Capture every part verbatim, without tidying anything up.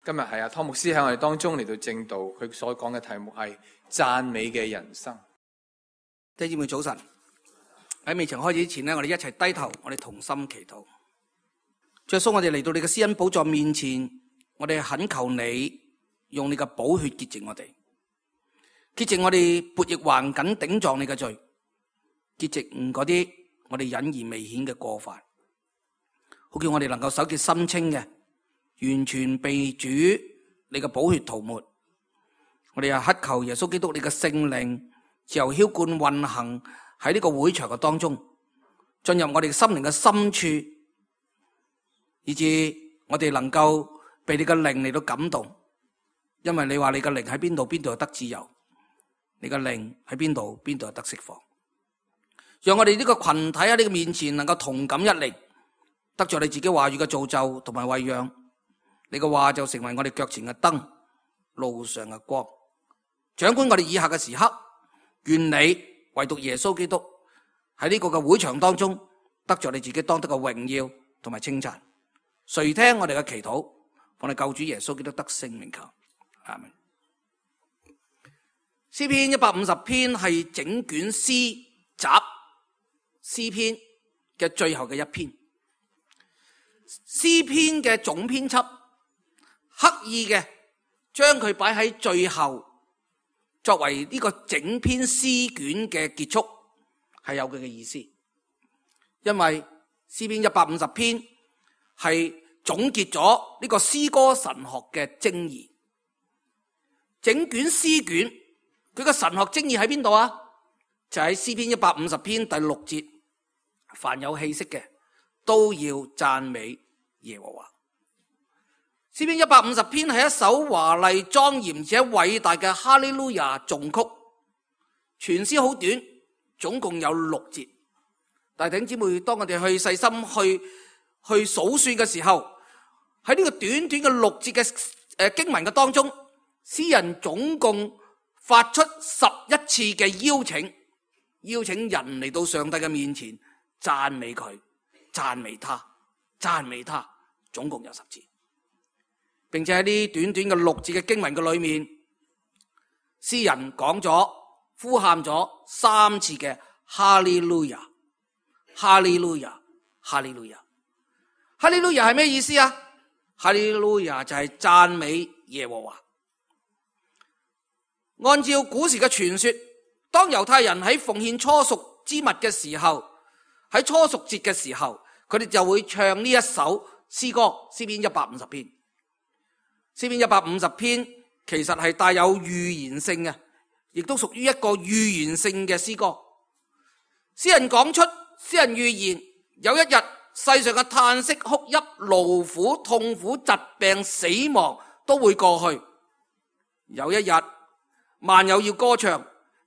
今日係阿湯牧師喺我哋當中嚟到證道，佢所講嘅題目係讚美嘅人生。弟兄姊妹早晨，喺未曾開始之前呢，我哋一齊低頭，我哋同心祈禱。主耶穌，我哋嚟到你嘅施恩寶座面前，我哋懇求你用你嘅寶血潔淨我哋，潔淨我哋悖逆橫梗頂撞你嘅罪，潔淨嗰啲我哋隱而未顯嘅過犯，好叫我哋能夠手潔心清嘅，完全被主你嘅寶血塗抹。我哋又乞求耶穌基督你嘅聖靈自由澆灌運行喺呢個會場嘅當中，進入我哋心靈嘅深處，以致我哋能夠被你嘅靈嚟到感動。因為你話你嘅靈喺邊度，邊度有得自由；你嘅靈喺邊度，邊度有得釋放。讓我哋呢個群體喺你嘅面前能夠同感一靈，得着你自己話語嘅造就同埋餵養。你嘅話就成為我哋腳前嘅燈，路上嘅光。掌管我哋以下嘅時刻，願你唯獨耶穌基督喺呢個嘅會場當中，得着你自己當得嘅榮耀同埋稱讚。垂聽我哋嘅祈禱，奉你救主耶穌基督得聖名求，阿們。詩篇一百五十篇係整卷詩集詩篇嘅最後嘅一篇。詩篇嘅總編輯刻意嘅將佢擺喺最後，作為呢個整篇詩卷嘅結束，係有佢嘅意思。因為詩篇一百五十篇係總結咗呢個詩歌神學嘅精義。整卷詩卷佢個神學精義喺邊度啊？就喺詩篇一百五十篇第六節，凡有氣息嘅都要讚美耶和華。詩篇一百五十篇係一首華麗莊嚴且偉大嘅哈利路亞頌曲，全詩好短，總共有六節。但係弟兄姊妹，當我哋去細心去去數算嘅時候，喺呢個短短嘅六節嘅誒經文嘅當中，詩人總共發出十一次嘅邀請，邀請人嚟到上帝嘅面前讚美佢、讚美他、讚美他，總共有十次。並且喺呢短短嘅六節嘅經文嘅裏面，詩人講咗、呼喊咗三次嘅哈利路亞、哈利路亞、哈利路亞。哈利路亞係咩意思啊？哈利路亞就係讚美耶和華。按照古時嘅傳說，當猶太人喺奉獻初熟之物嘅時候，喺初熟節嘅時候，佢哋就會唱呢一首詩歌，詩篇一百五十篇。詩篇一百五十篇其實係帶有預言性嘅，亦都屬於一個預言性嘅詩歌。詩人講出，詩人預言，有一日世上嘅嘆息、哭泣、勞苦、痛苦、疾病、死亡都會過去。有一日萬有要歌唱，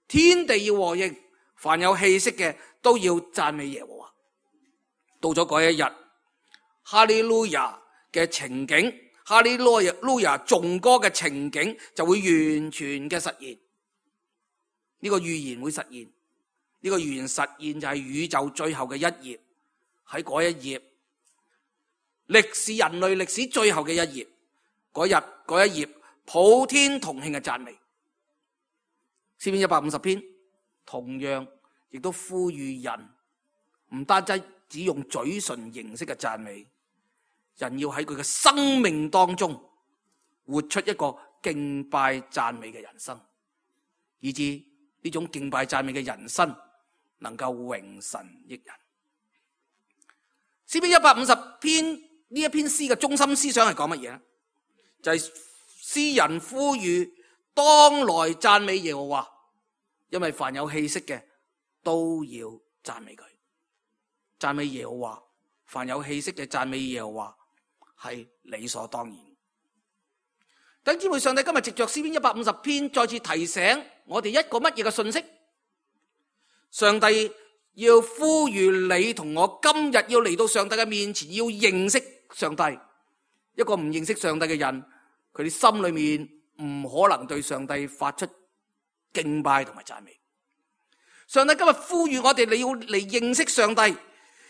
天地要和應，凡有氣息嘅都要讚美耶和華。到咗嗰一日，哈利路亞嘅情景，哈利路亞頌歌嘅情景就會完全嘅實現。呢個預言會實現，呢個預言實現就係宇宙最後嘅一頁。喺嗰一頁，歷史人類歷史最後嘅一頁，嗰日嗰一頁普天同慶嘅讚美。詩篇一百五十篇同樣亦都呼籲人，唔單止只用嘴唇形式嘅讚美，人要喺佢嘅生命當中活出一個敬拜讚美嘅人生，以致呢種敬拜讚美嘅人生能夠榮神益人。詩篇一百五十篇呢一篇詩嘅中心思想係講乜嘢呢？就係、是、詩人呼籲當來讚美耶和華，因為凡有氣息嘅都要讚美佢。讚美耶和華，凡有氣息嘅讚美耶和華係理所當然。弟兄姊妹，上帝今日藉着詩篇一百五十篇再次提醒我哋一個乜嘢嘅信息？上帝要呼籲你同我今日要嚟到上帝嘅面前，要認識上帝。一個唔認識上帝嘅人，佢哋心裏面唔可能對上帝發出敬拜同埋讚美。上帝今日呼籲我哋，你要嚟認識上帝，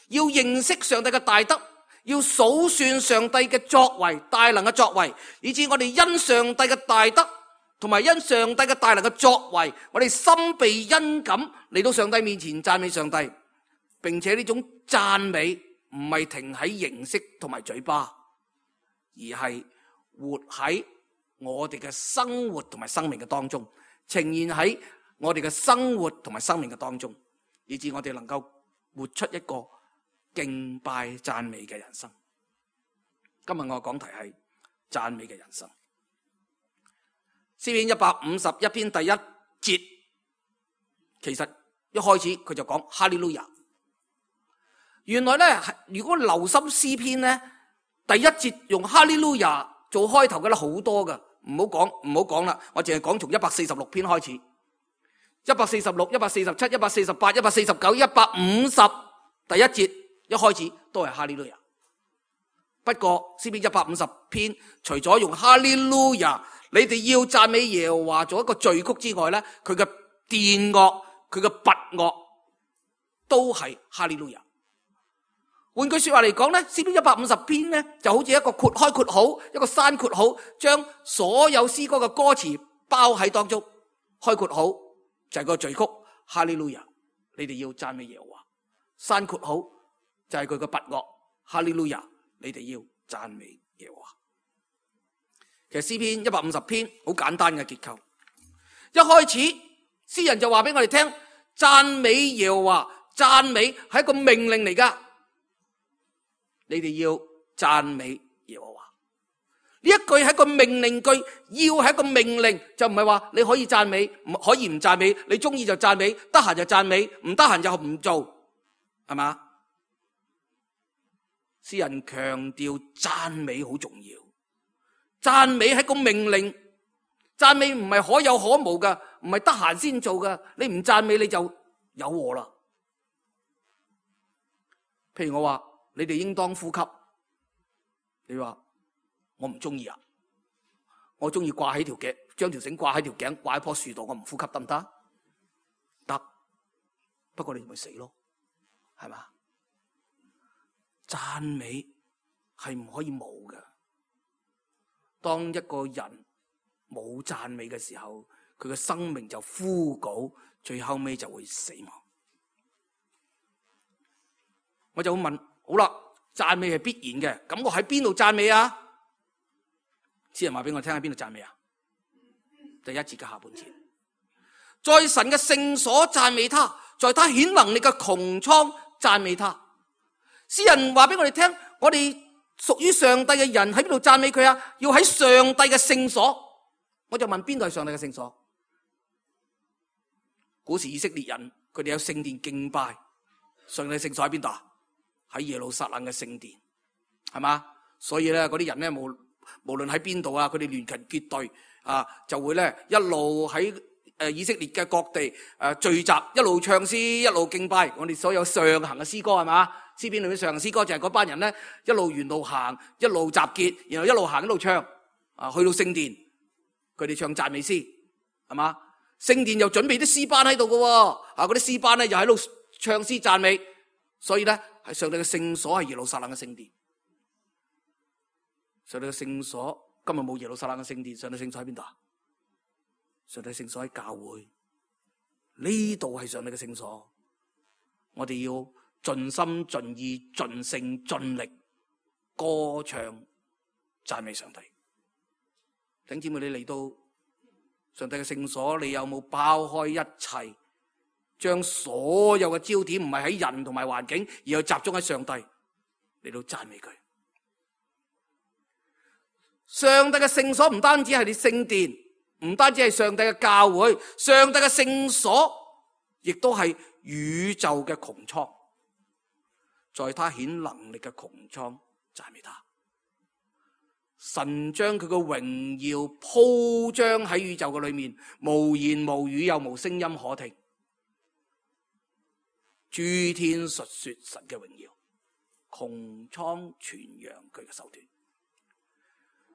要認識上帝嘅大德，要數算上帝嘅作為，大能嘅作為，以致我哋因上帝嘅大德同埋因上帝嘅大能嘅作為，我哋心被恩感嚟到上帝面前讚美上帝，並且呢種讚美唔係停喺形式同埋嘴巴，而係活喺我哋嘅生活同埋生命嘅當中，呈現喺我哋嘅生活同埋生命嘅當中，以致我哋能夠活出一個敬拜讚美嘅人生。今日我講題係讚美嘅人生。詩篇一百五十一篇第一節，其實一開始佢就講哈利路亞。原來咧，如果留心詩篇咧，第一節用哈利路亞做開頭嘅咧好多噶，唔好講唔好講啦，我淨係講從一百四十六篇開始，一百四十六、一百四十七、一百四十八、一百四十九、一百五十，第一節一開始都係哈利路亞。不過詩篇一百五十篇除咗用哈利路亞，你哋要讚美耶和華做一個序曲之外咧，佢嘅殿樂、佢嘅拔樂都係哈利路亞。換句說話嚟講咧，詩篇一百五十篇咧就好似一個括開括號，一個閂括號，將所有詩歌嘅歌詞包喺當中。開括號就係個序曲哈利路亞，你哋要讚美耶和華。閂括號就係佢嘅拔樂哈利路亞，你哋要讚美耶和華。其實詩篇一百五十篇好簡單嘅結構，一開始詩人就話俾我哋聽，讚美耶和華，讚美係一個命令嚟噶，你哋要讚美耶和華。呢一句係一個命令句，要係一個命令，就唔係話你可以讚美，唔可以唔讚美，你中意就讚美，得閒就讚美，唔得閒就唔做，係嘛？詩人強調讚美好重要，讚美係個命令，讚美唔係可有可無噶，唔係得閒先做噶，你唔讚美你就有禍啦。譬如我話你哋應當呼吸，你話我唔中意啊，我中意掛喺條頸，將條繩掛喺條頸，掛喺棵樹度，我唔呼吸得唔得？得，不過你咪死咯，係嘛？讚美係唔可以冇嘅。當一個人冇讚美嘅時候，佢嘅生命就枯槁，最後尾就會死亡。我就會問，好啦，讚美係必然嘅，咁我喺邊度讚美啊？詩人話俾我聽，喺邊度讚美啊？第一節嘅下半節，在神嘅聖所讚美他，在他顯能力嘅穹蒼讚美他。詩人話俾我哋聽，我哋屬於上帝嘅人喺邊度讚美佢啊？要喺上帝嘅聖所。我就問，邊度係上帝嘅聖所？古時以色列人佢哋有聖殿敬拜，上帝嘅聖所喺邊度啊？喺耶路撒冷嘅聖殿，係嘛？所以咧，嗰啲人咧，無無論喺邊度啊，佢哋聯群結隊啊，就會咧一路喺誒以色列嘅各地誒聚集，一路唱詩，一路敬拜。我哋所有上行嘅詩歌係嘛？詩篇裏面上行詩歌就係嗰班人咧一路沿路行，一路集結，然後一路行一路唱啊，去到聖殿，佢哋唱讚美詩，係嘛？聖殿又準備啲詩班喺度嘅，啊嗰啲詩班咧又喺度唱詩讚美，所以咧係上帝嘅聖所係耶路撒冷嘅聖殿。上帝嘅聖所今日冇耶路撒冷嘅聖殿，上帝聖所喺邊度啊？上帝聖所喺教會，呢度係上帝嘅聖所，我哋要盡心盡意盡性盡力歌唱讚美上帝。弟兄姊妹，你嚟到上帝嘅聖所，你有冇拋開一切，將所有嘅焦點唔係喺人同埋環境，而係集中喺上帝嚟到讚美佢？上帝嘅聖所唔單止係你聖殿，唔單止係上帝嘅教會，上帝嘅聖所亦都係宇宙嘅穹蒼，在他顯能力嘅穹蒼讚美他。神將佢嘅榮耀鋪張喺宇宙嘅裏面，無言無語又無聲音可聽，諸天述說神嘅榮耀，穹蒼傳揚佢嘅手段。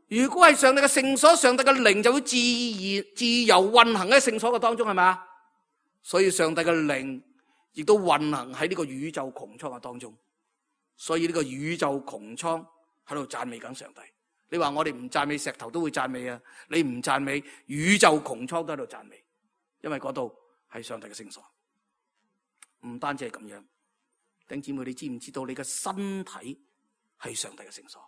如果係上帝嘅聖所，上帝嘅靈就會自然自由運行喺聖所嘅當中，係咪啊？所以上帝嘅靈亦都運行喺呢個宇宙穹蒼嘅當中。所以呢個宇宙穹蒼喺度讚美緊上帝。你話我哋唔讚美石頭都會讚美啊，你唔讚美宇宙穹蒼都喺度讚美，因為嗰度係上帝嘅聖所。唔單止係咁樣，弟兄姊妹，你知唔知道你嘅身體係上帝嘅聖所？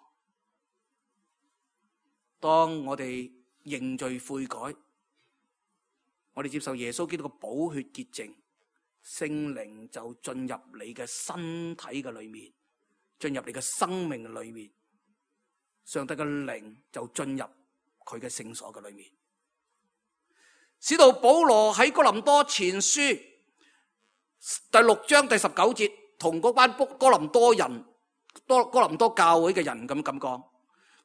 當我哋認罪悔改，我哋接受耶穌基督嘅寶血潔淨，聖靈就進入你嘅身體嘅裏面，進入你嘅生命嘅裏面，上帝嘅靈就進入佢嘅聖所嘅裏面。使徒保羅喺哥林多前書第六章第十九節，同嗰班哥林多人、多哥林多教會嘅人咁咁講，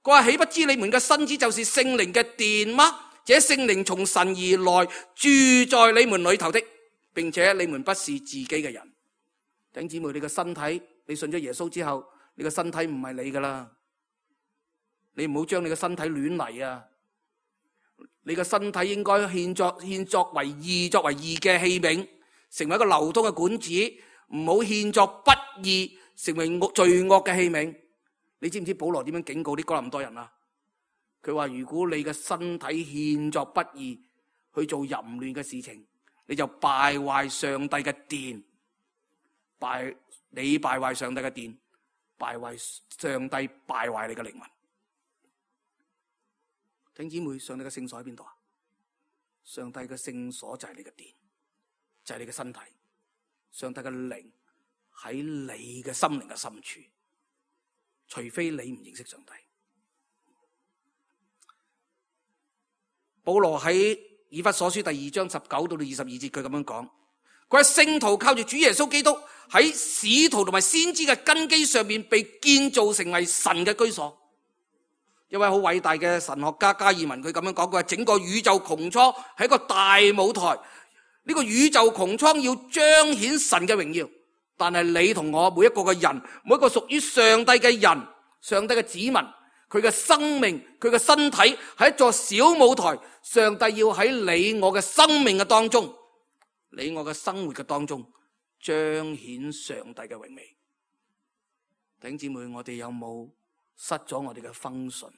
佢話：豈不知你們嘅身子就是聖靈嘅殿嗎？這聖靈從神而來，住在你們裏頭的，並且你們不是自己嘅人。弟兄姊妹，你嘅身體，你信咗耶穌之後，你嘅身體唔係你噶啦，你唔好將你嘅身體亂嚟啊！你嘅身體應該獻作獻作為義，作為義嘅器皿，成為一個流通嘅管子，唔好獻作不義，成為罪惡嘅器皿。你知唔知保羅點樣警告啲哥林多人啊？佢話：如果你嘅身體獻作不義，去做淫亂嘅事情，你就敗壞上帝嘅殿，敗你敗壞上帝嘅殿，敗壞上帝，敗壞你嘅靈魂。弟兄姊妹，上帝嘅聖所喺邊度啊？上帝嘅聖所就係你嘅殿，就係你嘅身體。上帝嘅靈喺你嘅心靈嘅深處，除非你唔認識上帝。保羅喺以弗所書第二章十九到到二十二節，佢咁樣講：佢話聖徒靠住主耶穌基督喺使徒同埋先知嘅根基上面被建造成為神嘅居所。一位好偉大嘅神學家加爾文，佢咁樣講：佢話整個宇宙穹蒼係一個大舞台，呢、這個宇宙穹蒼要彰顯神嘅榮耀。但係你同我每一個嘅人，每一個屬於上帝嘅人，上帝嘅子民，佢嘅生命，佢嘅身體係一座小舞台。上帝要喺你我嘅生命嘅當中，你我嘅生活嘅當中彰顯上帝嘅榮美。弟兄姊妹，我哋有冇失咗我哋嘅風順？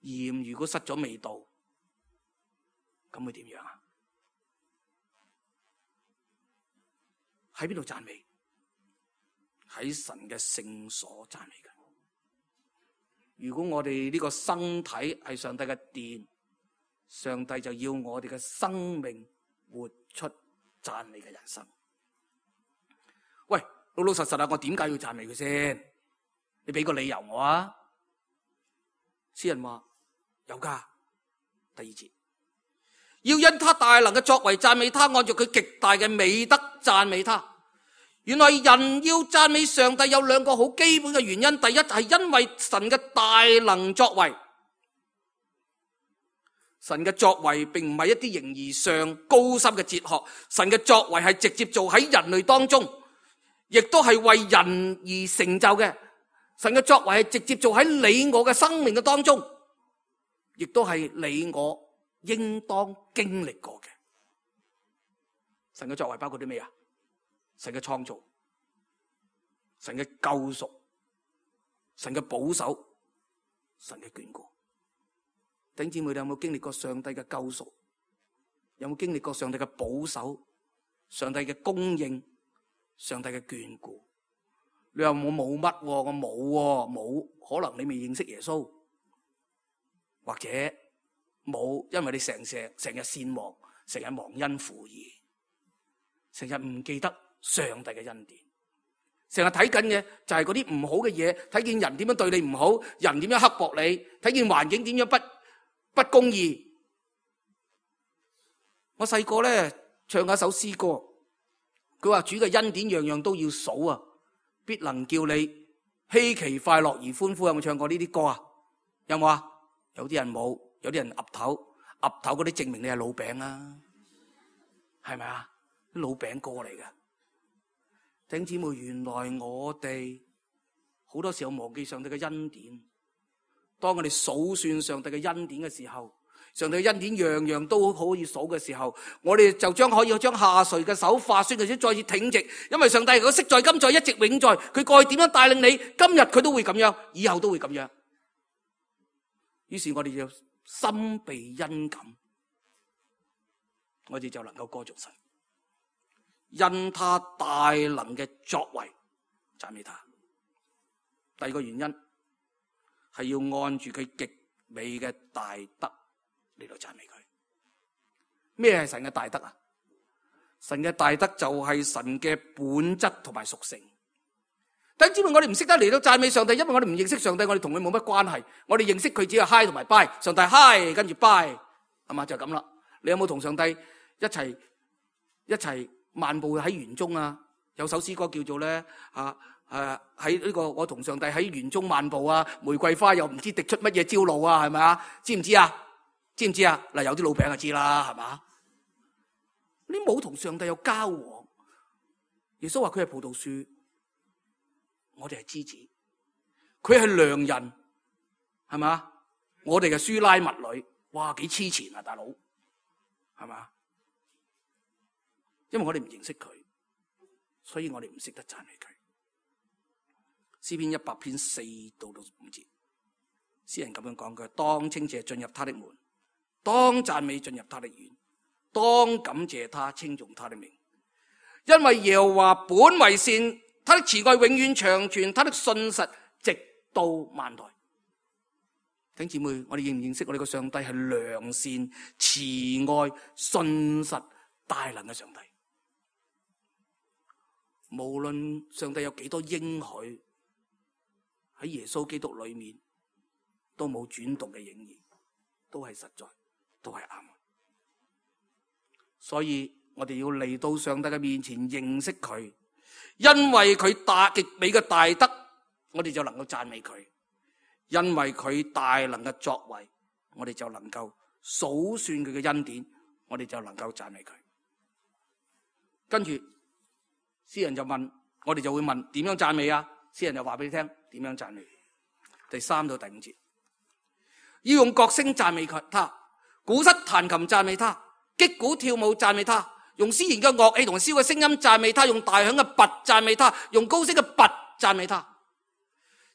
鹽如果失咗味道，咁會點樣啊？喺邊度讚美？喺神嘅聖所讚美嘅。如果我哋呢個身體係上帝嘅殿，上帝就要我哋嘅生命活出讚美嘅人生。喂，老老實實啊，我點解要讚美佢先？你俾個理由我啊！詩人話有噶，第二節，要因他大能嘅作為讚美他，按照佢極大嘅美德讚美他。原來人要讚美上帝有兩個好基本嘅原因。第一係因為神嘅大能作為，神嘅作為並唔係一啲形而上高深嘅哲學，神嘅作為係直接做喺人類當中，亦都係為人而成就嘅。神嘅作為係直接做喺你我嘅生命嘅當中，亦都係你我應當經歷過嘅。神嘅作為包括啲咩啊？神嘅創造，神嘅救贖，神嘅保守，神嘅眷顧。弟兄姊妹，你有冇經歷過上帝嘅救贖？有冇經歷過上帝嘅保守？上帝嘅供應？上帝嘅眷顧？你話我冇乜，我冇冇，可能你未認識耶穌，或者冇，因為你成成成日善忘，成日忘恩負義，成日唔記得上帝嘅恩典，成日睇緊嘅就係嗰啲唔好嘅嘢，睇見人點樣對你唔好，人點樣刻薄你，睇見環境點樣不不公義。我細個咧唱一首詩歌，佢話主嘅恩典樣樣都要數啊，必能叫你希奇快樂而歡呼。有冇唱過呢啲歌啊？有冇啊？有啲人冇，有啲人岌頭岌頭，嗰啲證明你係老餅啊，係咪啊？啲老餅歌嚟嘅。弟兄姊妹，原來我哋好多時候忘記上帝嘅恩典。當我哋數算上帝嘅恩典嘅時候，上帝嘅恩典樣樣都可以數嘅時候，我哋就將可以將下垂嘅手化酸，或者再次挺直，因為上帝佢昔在今在一直永在，佢過去點樣帶領你，今日佢都會咁樣，以後都會咁樣。於是我哋就心備恩感，我哋就能夠歌頌神，因他大能嘅作為讚美他。第二個原因係要按住佢極美嘅大德嚟到讚美佢。咩係神嘅大德啊？神嘅大德就係神嘅本質同埋屬性。弟兄姊妹，我哋唔識得嚟到讚美上帝，因為我哋唔認識上帝，我哋同佢冇乜關係。我哋認識佢只係 hi 同埋 bye， 上帝 hi 跟住 bye， 係嘛，就咁啦。你有冇同上帝一齊一齊漫步喺園中啊？有首詩歌叫做咧啊誒喺呢個我同上帝喺園中漫步啊，玫瑰花又唔知滴出乜嘢朝露啊，係咪啊？知唔知啊？知唔知啊？嗱，有啲老餅就知啦，係嘛？你冇同上帝有交往，耶穌話佢係葡萄樹，我哋係枝子，佢係良人，係嘛？我哋嘅書拉密女，哇，幾黐纏啊，大佬，係嘛？因為我哋唔認識佢，所以我哋唔識得讚美佢。詩篇一百篇四到到五節，詩人咁樣講，佢當稱謝進入他的門，當讚美進入他的院，當感謝他，稱頌他的名，因為耶和華本為善，他的慈愛永遠長存，他的信實直到萬代。弟兄姊妹，我哋認唔認識我哋個上帝係良善、慈愛、信實、大能嘅上帝？無論上帝有幾多應許，喺耶穌基督裏面都冇轉動嘅影兒，都係實在，都係啱。所以我哋要嚟到上帝嘅面前認識佢，因為佢大極美嘅大德，我哋就能夠讚美佢；因為佢大能嘅作為，我哋就能夠數算佢嘅恩典，我哋就能夠讚美佢。跟住詩人就問，我哋就會問點樣讚美啊？詩人就話俾你聽點樣讚美。第三到第五節，要用角聲讚美佢，他鼓瑟彈琴讚美他，擊鼓跳舞讚美他，用絲弦嘅樂器同簫嘅聲音讚美他，用大響嘅鈸讚美他，用高聲嘅鈸讚美他。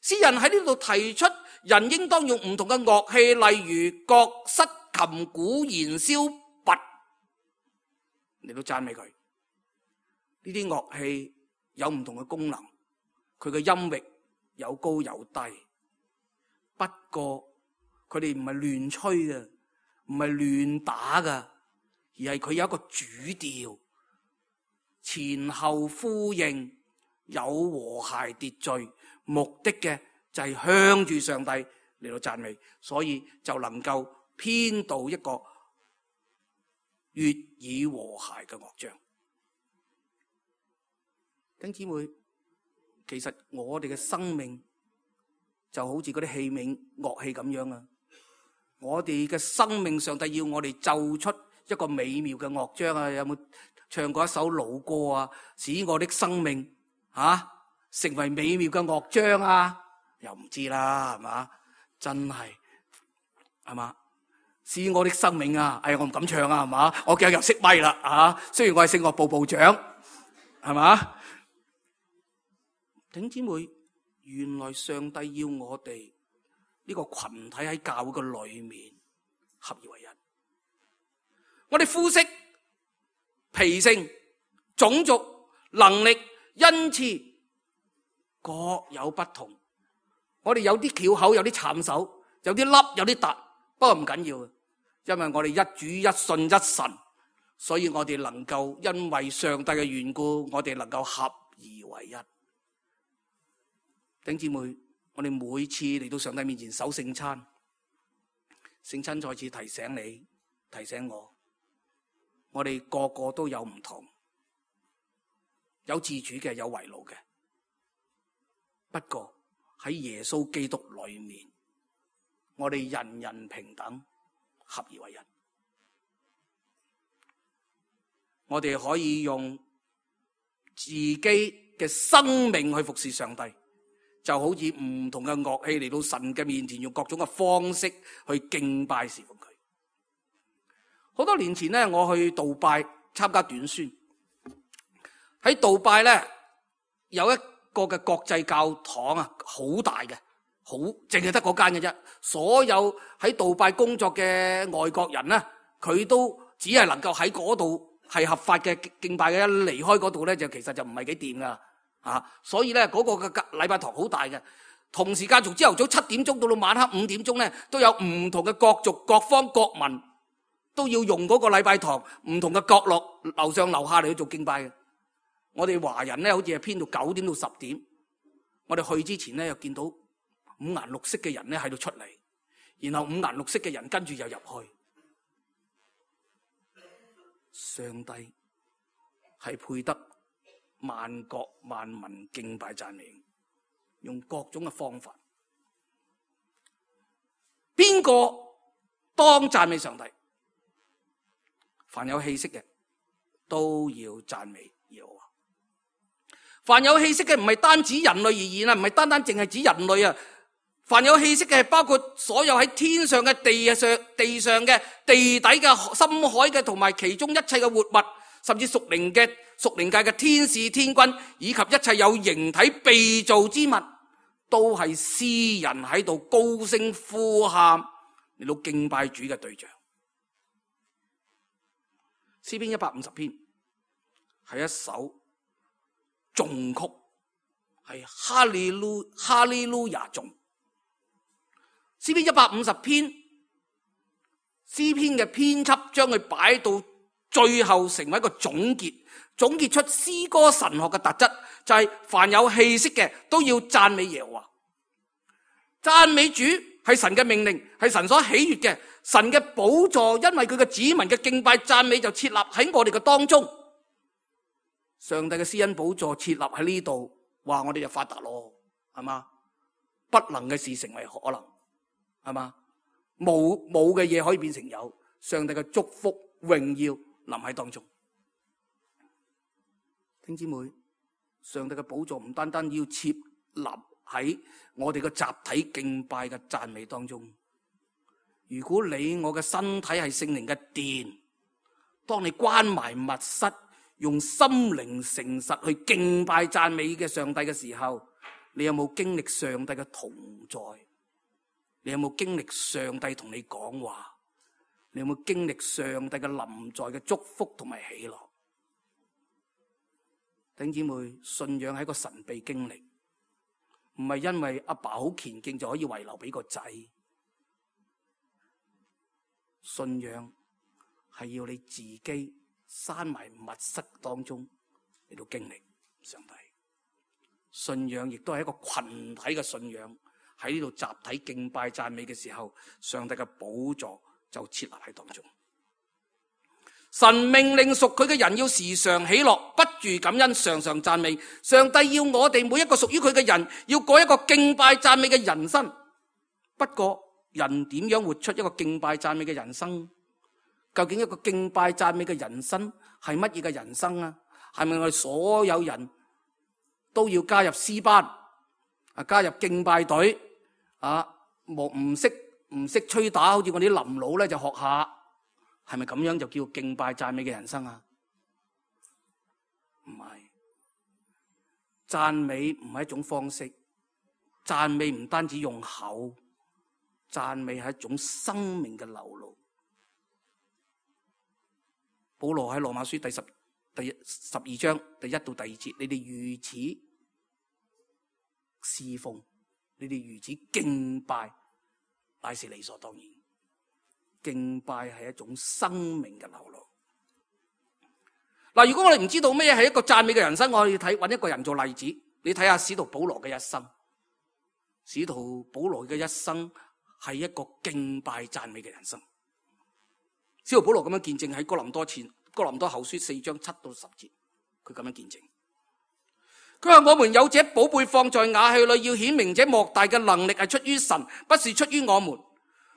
詩人喺呢度提出，人應當用唔同嘅樂器，例如角、瑟、琴、鼓、弦、簫、鈸嚟到讚美佢。呢啲樂器有唔同嘅功能，佢嘅音域有高有低，不過佢哋唔係亂吹嘅，唔係亂打嘅，而係佢有一個主調，前後呼應，有和諧秩序，目的嘅就係向住上帝嚟到讚美，所以就能夠編導一個悅耳和諧嘅樂章。弟兄姊妹，其實我哋嘅生命就好似嗰啲器皿樂器咁樣啊！我哋嘅生命，上帝要我哋奏出一個美妙嘅樂章啊！有冇唱過一首老歌啊？使我的生命啊成為美妙嘅樂章啊？又唔知啦，係嘛？真係係嘛？使我的生命啊！哎，我唔敢唱啊，係嘛？我今日又熄咪啦啊！雖然我係聖樂部部長，係嘛？弟兄姊妹，原來上帝要我哋呢個群體喺教會嘅裏面合而為一。我哋膚色、脾性、種族、能力、恩賜各有不同。我哋有啲翹口，有啲慘手，有啲凹，有啲凸，不過唔緊要，因為我哋一主一信一神，所以我哋能夠因為上帝嘅緣故，我哋能夠合而為一。弟兄姊妹，我哋每次嚟到上帝面前守聖餐，聖餐再次提醒你，提醒我，我哋個個都有唔同，有自主嘅，有為奴嘅。不過喺耶穌基督裏面，我哋人人平等，合而為一。我哋可以用自己嘅生命去服侍上帝。就好似唔同嘅樂器嚟到神嘅面前，用各種嘅方式去敬拜侍奉佢。好多年前咧，我去杜拜參加短宣。喺杜拜咧有一個嘅國際教堂啊，好大嘅，好淨係得嗰間嘅啫。所有喺杜拜工作嘅外國人咧，佢都只係能夠喺嗰度係合法嘅敬拜嘅，一離開嗰度咧就其實就唔係幾掂噶啊。所以咧嗰個嘅禮拜堂好大嘅，同時間從朝頭早七點鐘到到晚黑五點鐘咧，都有唔同嘅各族各方各民都要用嗰個禮拜堂唔同嘅角落樓上樓下嚟去做敬拜嘅。我哋華人咧好似係編到九點到十點，我哋去之前咧又見到五顏六色嘅人咧喺度出嚟，然後五顏六色嘅人跟住又入去。上帝係配得萬國萬民敬拜讚美，用各種嘅方法。邊個當讚美上帝？凡有氣息嘅都要讚美耶和華。凡有氣息嘅唔係單指人類而言啊，唔係單單淨係指人類啊。凡有氣息嘅係包括所有喺天上嘅、地上、地上嘅、地底嘅、深海嘅，同埋其中一切嘅活物，甚至屬靈嘅、屬靈界嘅天使、天軍，以及一切有形體被造之物，都係詩人喺度高聲呼喊嚟到敬拜主嘅對象。詩篇一百五十篇係一首頌曲，係哈利路哈利路亞頌。詩篇一百五十篇，詩篇嘅編輯將佢擺到最後成為一個總結，總結出詩歌神學嘅特質，就係凡有氣息嘅都要讚美耶和華。讚美主係神嘅命令，係神所喜悅嘅。神嘅寶座因為佢嘅子民嘅敬拜讚美就設立喺我哋嘅當中。上帝嘅施恩寶座設立喺呢度，話我哋就發達咯，係嘛？不能嘅事成為可能，係嘛？冇冇嘅嘢可以變成有，上帝嘅祝福榮耀臨喺當中。弟兄姊妹，上帝嘅寶座唔單單要設立喺我哋嘅集體敬拜嘅讚美當中。如果你我嘅身體係聖靈嘅殿，當你關埋密室，用心靈誠實去敬拜讚美嘅上帝嘅時候，你有冇經歷上帝嘅同在？你有冇經歷上帝同你講話？你有冇經歷上帝嘅臨在嘅祝福同埋喜樂？弟兄姊妹，信仰係一個神秘經歷，唔係因為阿爸好虔敬就可以遺留俾個仔。信仰係要你自己閂埋密室當中嚟到經歷上帝。信仰亦都係一個群體嘅信仰，喺呢度集體敬拜讚美嘅時候，上帝嘅寶座就設立喺當中。神命令屬佢嘅人要時常喜樂，不住感恩，常常讚美。上帝要我哋每一個屬於佢嘅人要過一個敬拜讚美嘅人生。不過人點樣活出一個敬拜讚美嘅人生？究竟一個敬拜讚美嘅人生係乜嘢嘅人生啊？係咪我哋所有人都要加入詩班啊，加入敬拜隊啊？唔識唔識吹打，好似我哋啲林老咧就學下，係咪咁樣就叫敬拜讚美嘅人生啊？唔係，讚美唔係一種方式，讚美唔單止用口。讚美係一種生命嘅流露。保羅喺羅馬書第十第十二章第一到第二節，你哋如此侍奉，你哋如此敬拜，乃是理所當然。敬拜係一種生命嘅流露。嗱，如果我哋唔知道咩係一個讚美嘅人生，我哋睇揾一個人做例子。你睇下使徒保羅嘅一生，使徒保羅嘅一生。係一個敬拜讚美嘅人生。使徒保羅咁樣見證喺哥林多前哥林多後書四章七到十節，佢咁樣見證。佢話：我們有這寶貝放在瓦器裏，要顯明這莫大嘅能力係出於神，不是出於我們。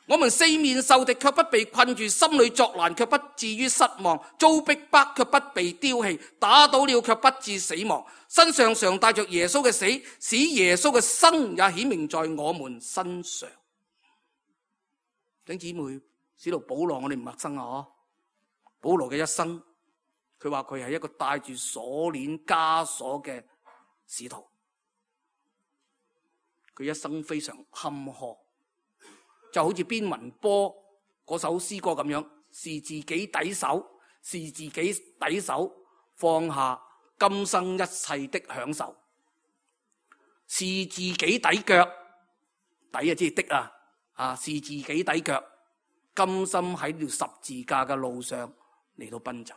我們四面受敵，卻不被困住；心裏作難，卻不至於失望；遭逼迫，卻不被丟棄；打倒了，卻不致死亡。身上常帶着耶穌嘅死，使耶穌嘅生也顯明在我們身上。弟兄姊妹，使徒保羅我哋唔陌生啊！保羅嘅一生，佢話佢係一個帶住鎖鏈枷鎖嘅使徒，佢一生非常坎坷，就好似邊雲波嗰首詩歌咁樣，是自己抵手，是自己抵手，放下今生一切的享受，是自己抵腳，抵啊即係的啊，啊是自己抵腳，甘心喺條十字架嘅路上嚟到奔走。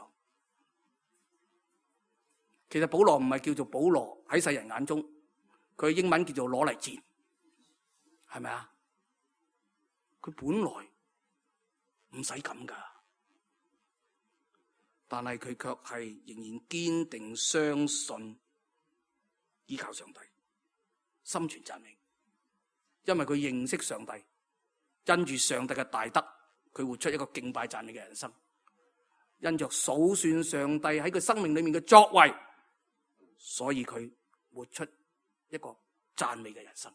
其實保羅唔係叫做保羅，喺世人眼中佢英文叫做攞嚟賤，係咪啊？佢本來唔使咁噶，但係佢卻係仍然堅定相信依靠上帝，心存讚美，因為佢認識上帝，因住上帝嘅大德，佢活出一個敬拜讚美嘅人生，因着數算上帝喺佢生命裏面嘅作為，所以佢活出一個讚美嘅人生。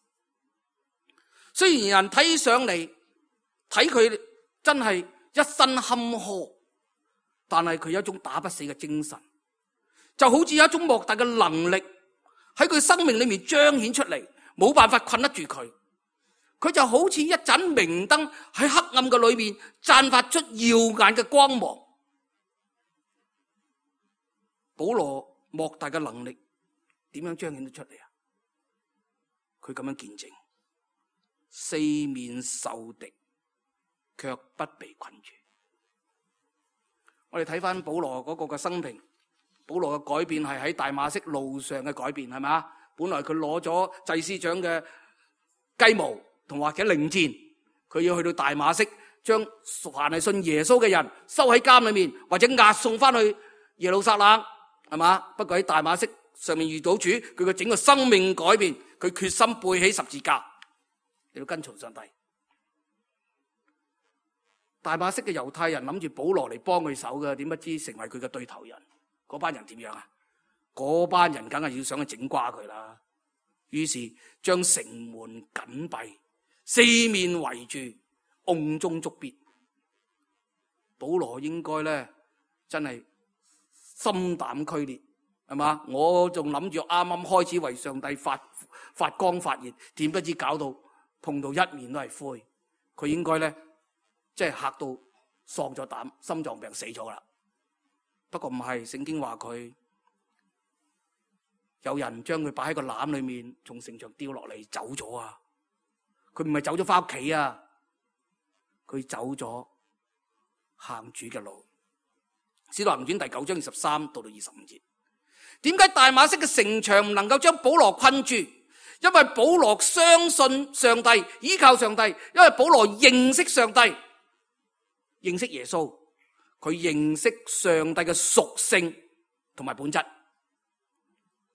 雖然人睇上嚟睇佢真係一身坎坷，但係佢有一種打不死嘅精神，就好似有一種莫大嘅能力喺佢生命裏面彰顯出嚟，冇辦法困得住佢。佢就好似一盞明燈喺黑暗嘅裏面綻發出耀眼嘅光芒。保羅莫大嘅能力點樣彰顯得出嚟啊？佢咁樣見證，四面受敵卻不被困住。我哋睇翻保羅嗰個嘅生平，保羅嘅改變係喺大馬色路上嘅改變，係咪啊？本來佢攞咗祭司長嘅雞毛同或者令箭，佢要去到大馬色，將凡係信耶穌嘅人收喺監裏面，或者押送翻去耶路撒冷，係嘛？不過喺大馬色上面遇到主，佢嘅整個生命改變，佢決心背起十字架嚟到跟從上帝。大馬色嘅猶太人諗住保羅嚟幫佢手嘅，點不知成為佢嘅對頭人。嗰班人點樣啊？嗰班人梗係要想去整瓜佢啦。於是將城門緊閉，四面圍住，甕中捉鱉。保羅應該咧真係心膽俱裂，係嘛？我仲諗住啱啱開始為上帝發發光發熱，點不知搞到碰到一面都係灰。佢應該咧即係嚇到喪咗膽，心臟病死咗啦。不過唔係，聖經話佢有人將佢擺喺個籃裏面，從城牆掉落嚟走咗啊！佢唔係走咗翻屋企啊，佢走咗行主嘅路。使徒行傳第九章二十三到到二十五節，點解大馬色嘅城牆唔能夠將保羅困住？因為保羅相信上帝，依靠上帝，因為保羅認識上帝，認識耶穌，佢認識上帝嘅屬性同埋本質，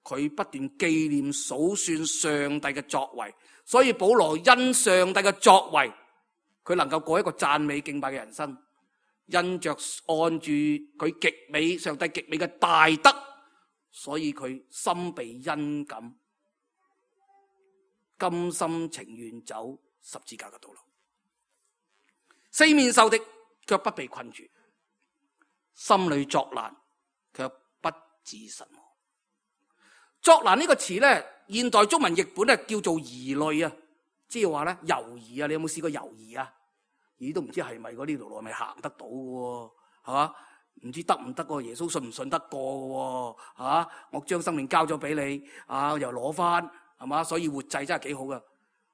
佢不斷紀念數算上帝嘅作為，所以保羅因上帝嘅作為，佢能夠過一個讚美敬拜嘅人生，因着按住佢極美上帝極美嘅大德，所以佢心被恩感，甘心情願走十字架嘅道路，四面受敵卻不被困住，心裏作難卻不致神往。作難呢個詞咧，現代中文譯本咧叫做疑慮啊，即係話咧猶豫啊。你有冇試過猶豫啊？咦，都唔知係咪嗰呢條路係咪行得到嘅，係嘛？唔知得唔得個耶穌信唔信得過嘅，係嘛？我將生命交咗俾你，啊又攞翻，係嘛？所以活祭真係幾好噶。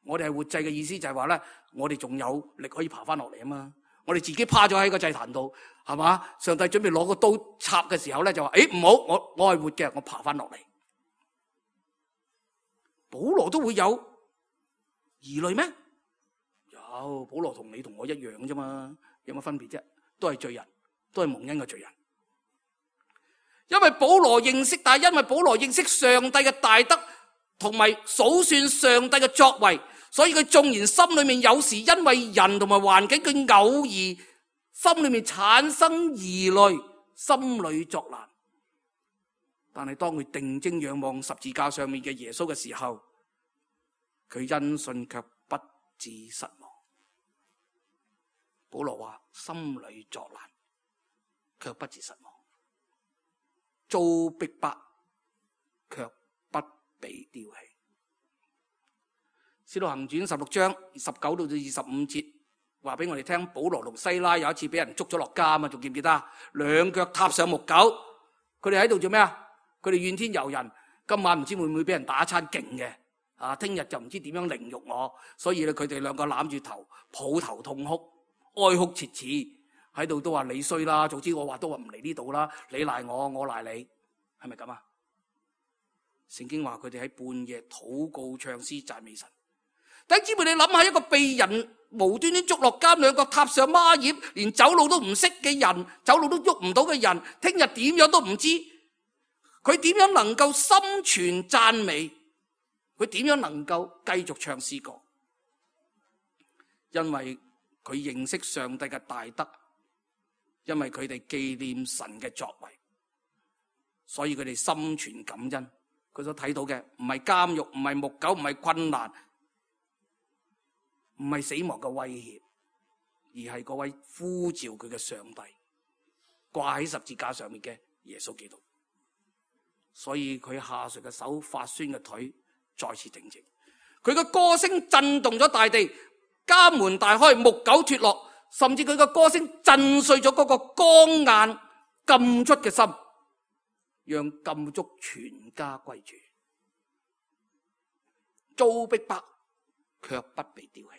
我哋係活祭嘅意思就係話咧，我哋仲有力可以爬翻落嚟啊嘛。我哋自己趴咗喺個祭壇度，係嘛？上帝準備攞個刀插嘅時候咧，就話：誒唔好，我我係活嘅，我爬翻落嚟。保羅都會有疑慮咩？有，保羅同你同我一樣啫嘛，有乜分別啫？都係罪人，都係蒙恩嘅罪人。因為保羅認識，但係因為保羅認識上帝嘅大德，同埋數算上帝嘅作為，所以佢縱然心裏面有時因為人同埋環境，佢偶爾心裏面產生疑慮，心裏作難。但係當佢定睛仰望十字架上面嘅耶穌嘅時候，佢因信卻不致失望。保羅話心裏作難，卻不致失望；遭逼迫，卻不被丟棄。使徒行傳十六章十九到到二十五節，話俾我哋聽，保羅同西拉有一次俾人捉咗落監啊嘛，仲記唔記得？兩腳踏上木狗，佢哋喺度做咩啊？佢哋怨天尤人，今晚唔知會唔會俾人打一餐勁嘅啊！聽日就唔知點樣凌辱我，所以咧佢哋兩個攬住頭，抱頭痛哭，哀哭切齒，喺度都話你衰啦，早知我話都話唔嚟呢度啦，你賴我，我賴你，係咪咁啊？聖經話佢哋喺半夜禱告唱詩讚美神。弟兄姊妹，你諗下，一個被人無端端捉落監，兩個踏上孖葉，連走路都唔識嘅人，走路都喐唔到嘅人，聽日點樣都唔知，佢點樣能夠心存讚美？佢點樣能夠繼續唱詩歌？因為佢認識上帝嘅大德，因為佢哋紀念神嘅作為，所以佢哋心存感恩。佢所睇到嘅唔係監獄，唔係木狗，唔係困難，唔係死亡嘅威脅，而係嗰位呼召佢嘅上帝，掛喺十字架上面嘅耶穌基督。所以佢下垂嘅手，發酸嘅腿再次挺直，佢嘅歌聲震動咗大地，監門大開，木狗脫落，甚至佢嘅歌聲震碎咗嗰個剛硬禁足嘅心，讓禁足全家歸主，遭逼迫卻不被丟棄，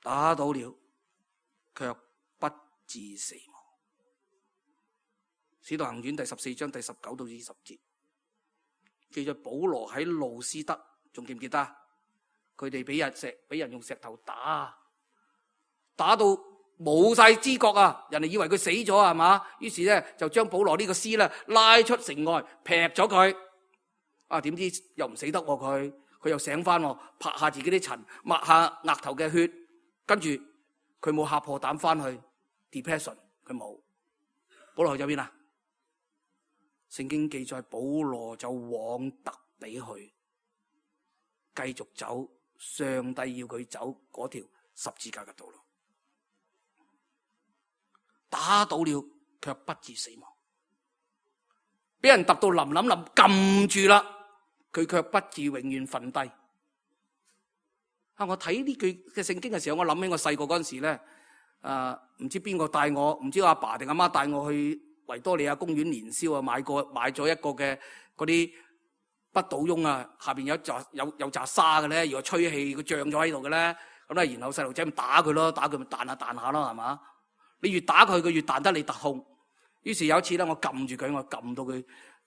打倒了卻不致死亡。使徒行傳第十四章第十九到二十節記載，保羅喺路斯德，仲記唔記得？佢哋俾人石俾人用石頭打，打到冇晒知覺啊！人哋以為佢死咗係嘛？於是咧就將保羅呢個屍咧拉出城外，劈咗佢。啊，點知又唔死得喎佢，佢又醒翻，拍下自己啲塵，抹下額頭嘅血，跟住佢冇嚇破膽翻去 depression， 佢冇。保羅去咗邊啊？聖經記載，保羅就往特比去，繼續走上帝要佢走嗰條十字架嘅道路。打倒了卻不致死亡，俾人揼到冧冧冧撳住啦，佢卻不致永遠瞓低。啊！我睇呢句嘅聖經嘅時候，我諗起我細個嗰陣時咧，誒唔知邊個帶我，唔知阿爸定阿媽帶我去維多利亞公園年宵啊，買過買咗一個嘅嗰啲不倒翁啊，下邊有一紮有有紮沙嘅咧，如果吹氣佢脹咗喺度嘅咧，咁咧然後細路仔咁打佢咯，打佢咪彈下彈下咯，係嘛？你越打佢，佢越彈得你特控。於是有一次咧，我撳住佢，我撳到佢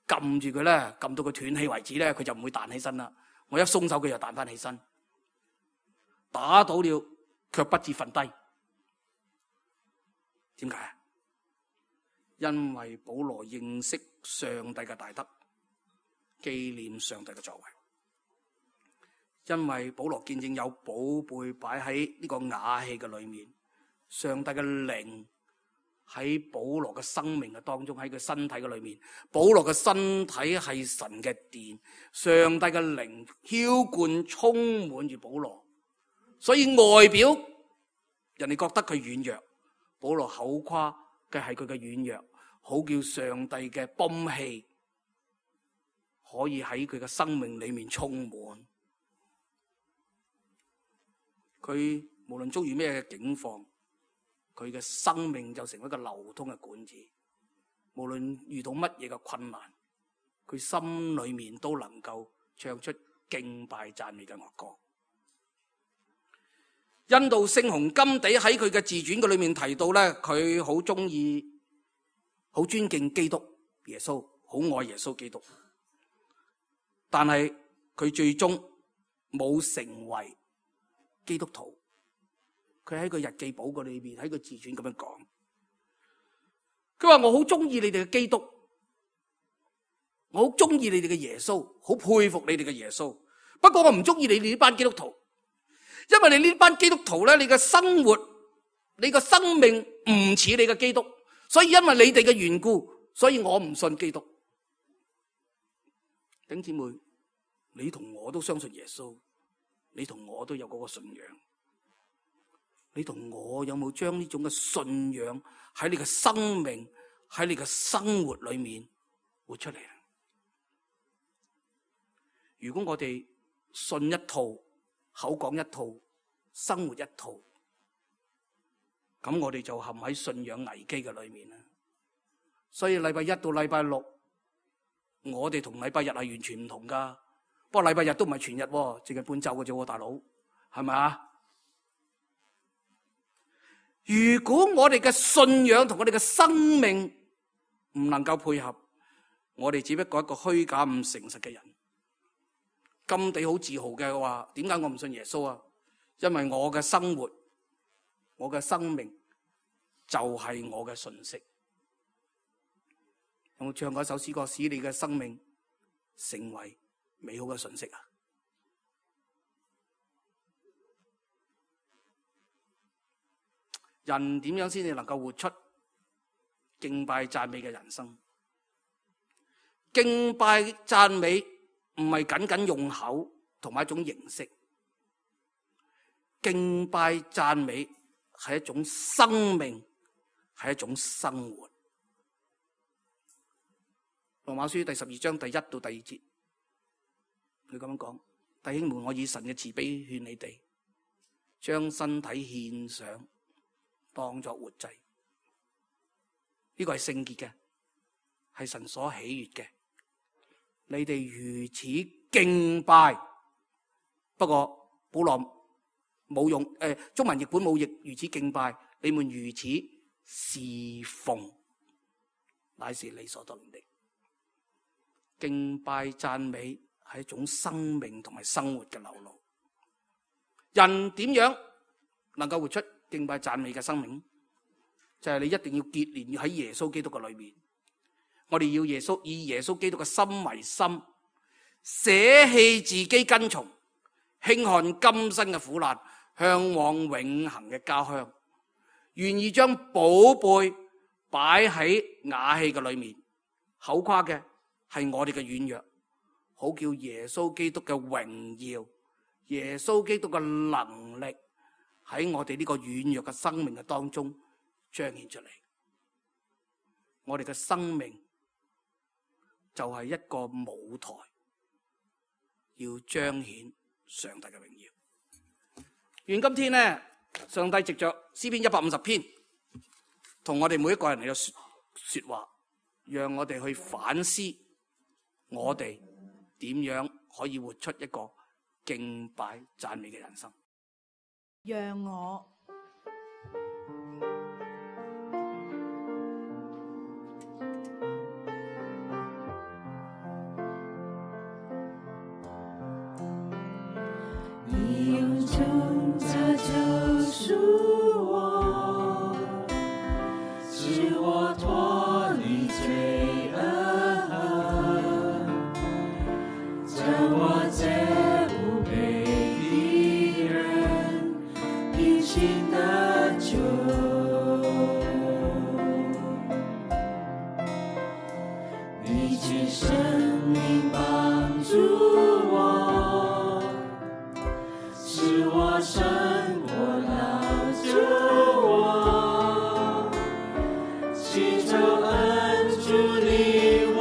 撳住佢咧，撳到佢斷氣為止咧，佢就唔會彈起身啦。我一鬆手，佢就彈翻起身。打倒了卻不致瞓低，點解？因為保羅認識上帝嘅大德，紀念上帝嘅作為。因為保羅見證有寶貝擺喺呢個瓦器嘅裏面，上帝嘅靈喺保羅嘅生命嘅當中，喺佢身體嘅裏面。保羅嘅身體係神嘅殿，上帝嘅靈澆灌充滿住保羅，所以外表人哋覺得佢軟弱，保羅口誇嘅係佢嘅軟弱，好叫上帝嘅泵氣可以喺佢嘅生命裏面充滿。佢無論遭遇咩嘅境況，佢嘅生命就成為一個流通嘅管子。無論遇到乜嘢嘅困難，佢心裏面都能夠唱出敬拜讚美嘅樂歌。印度聖雄甘地喺佢嘅自傳嘅裏面提到咧，佢好中意、好尊敬基督耶穌，好愛耶穌基督，但係佢最終冇成為基督徒。佢喺個日記簿個裏面，喺個自傳咁樣講，佢話我好中意你哋嘅基督，我好中意你哋嘅耶穌，好佩服你哋嘅耶穌，不過我唔中意你哋呢班基督徒。因為你呢班基督徒咧，你嘅生活、你嘅生命唔似你嘅基督，所以因為你哋嘅緣故，所以我唔信基督。弟兄姊妹，你同我都相信耶穌，你同我都有嗰個信仰。你同我有冇將呢種嘅信仰喺你嘅生命、喺你嘅生活裏面活出嚟？如果我哋信一套、口講一套、生活一套，咁我哋就陷喺信仰危機嘅裏面啦。所以禮拜一到禮拜六，我哋同禮拜日係完全唔同噶。不過禮拜日都唔係全日，淨係半晝嘅啫，大佬，係咪啊？如果我哋嘅信仰同我哋嘅生命唔能夠配合，我哋只不過一個虛假唔誠實嘅人。甘地好自豪嘅話，點解我唔信耶穌啊？因為我嘅生活、我嘅生命就係我嘅信息。有冇唱過一首詩歌，使你嘅生命成為美好嘅信息啊？人點樣先至能夠活出敬拜讚美嘅人生？敬拜讚美唔係僅僅用口同埋一種形式，敬拜讚美係一種生命，係一種生活。羅馬書第十二章第一到第二節，佢咁樣講：弟兄們，我以神嘅慈悲勸你哋，將身體獻上，當作活祭，呢個係聖潔嘅，係神所喜悅嘅。你哋如此敬拜，不過保羅冇用，誒、呃，中文譯本冇譯如此敬拜，你們如此侍奉，乃是理所當然的。敬拜讚美係一種生命同埋生活嘅流露。人點樣能夠活出敬拜讚美嘅生命？就係、是、你一定要結連喺耶穌基督嘅裏面。我哋要耶穌以耶穌基督嘅心為心，捨棄自己跟從，輕看今生嘅苦難，向往永恆嘅家鄉，願意將寶貝擺喺瓦器嘅裏面。口誇嘅係我哋嘅軟弱，好叫耶穌基督嘅榮耀、耶穌基督嘅能力喺我哋呢個軟弱嘅生命嘅當中彰顯出嚟。我哋嘅生命就係一個舞台，要彰顯上帝嘅榮耀。願今天呢，上帝藉着詩篇一百五十篇，同我哋每一個人嚟到說說話，讓我哋去反思，我哋點樣可以活出一個敬拜讚美嘅人生。讓我你用重價救贖我，使我脫離罪惡，將我這無配的人平心得救。你取生命幫助我，使我勝過老救我，祈求恩主領我，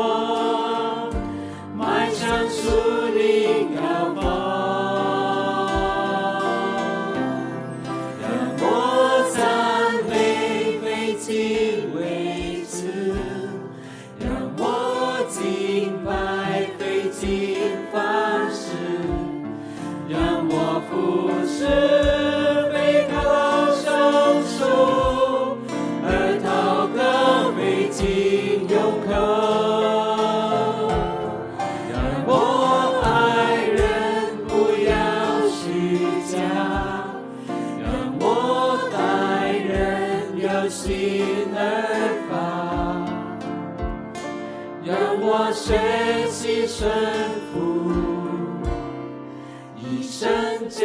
邁向屬靈高峰。讓我讚美費盡為此，讓我敬拜費盡方式，讓我服侍背靠雙手，而禱告費盡用口。讓我愛人不要虛假，讓我待人有心而發，讓我學習順服，以聖潔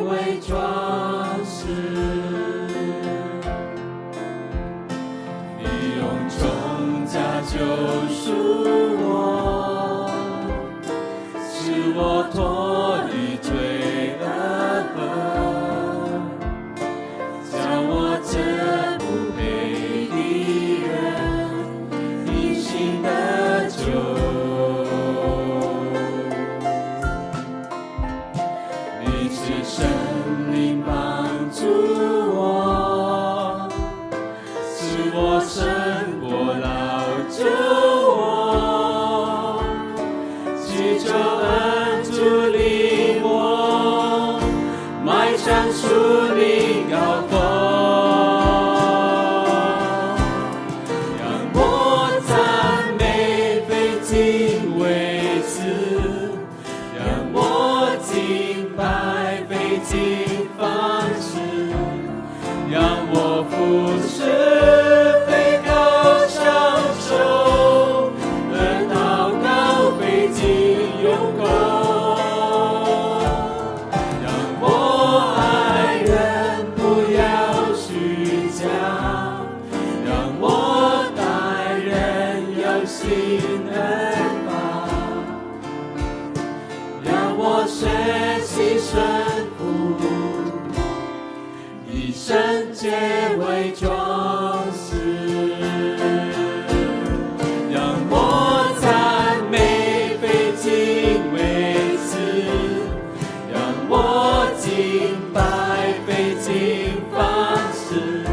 為裝飾。你用重價救贖我，使我脫離罪惡，俯视飞高享受，而祷告飞进永恒。让我爱人不要虚假，让我待人有心而发，让我学习顺服，以圣洁为装饰，让我赞美非敬为词，让我敬拜非敬方式，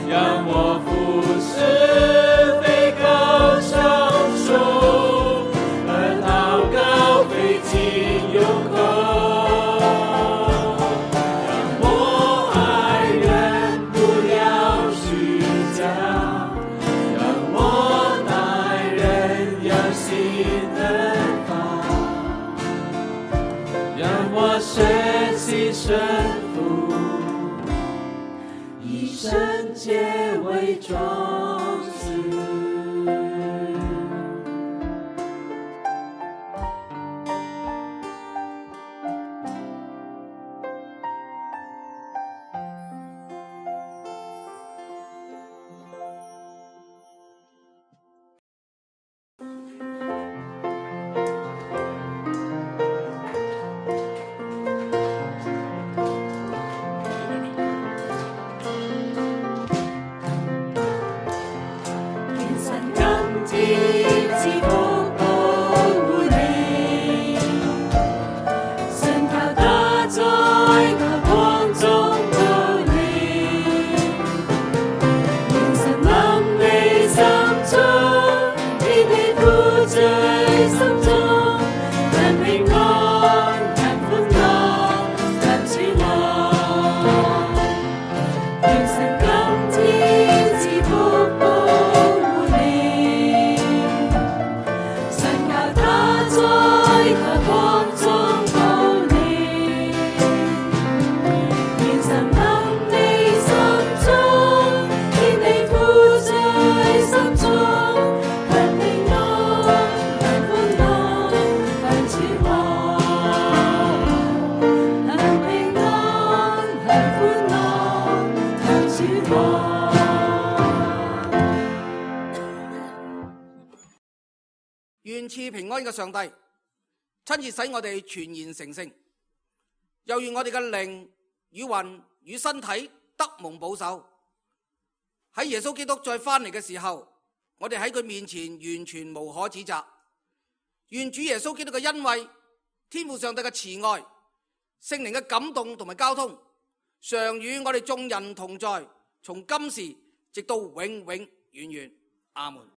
让我俯视非高享受，而祷告非进永恒。学习顺服，以圣洁为装饰。願賜平安嘅上帝親自使我哋全然成聖，又願我哋嘅靈與魂與身體得蒙保守。喺耶穌基督再翻嚟嘅時候，我哋喺佢面前完全無可指責。願主耶穌基督嘅恩惠、天父上帝嘅慈愛、聖靈嘅感動同埋交通，常與我哋眾人同在，從今時直到永永遠遠。阿門。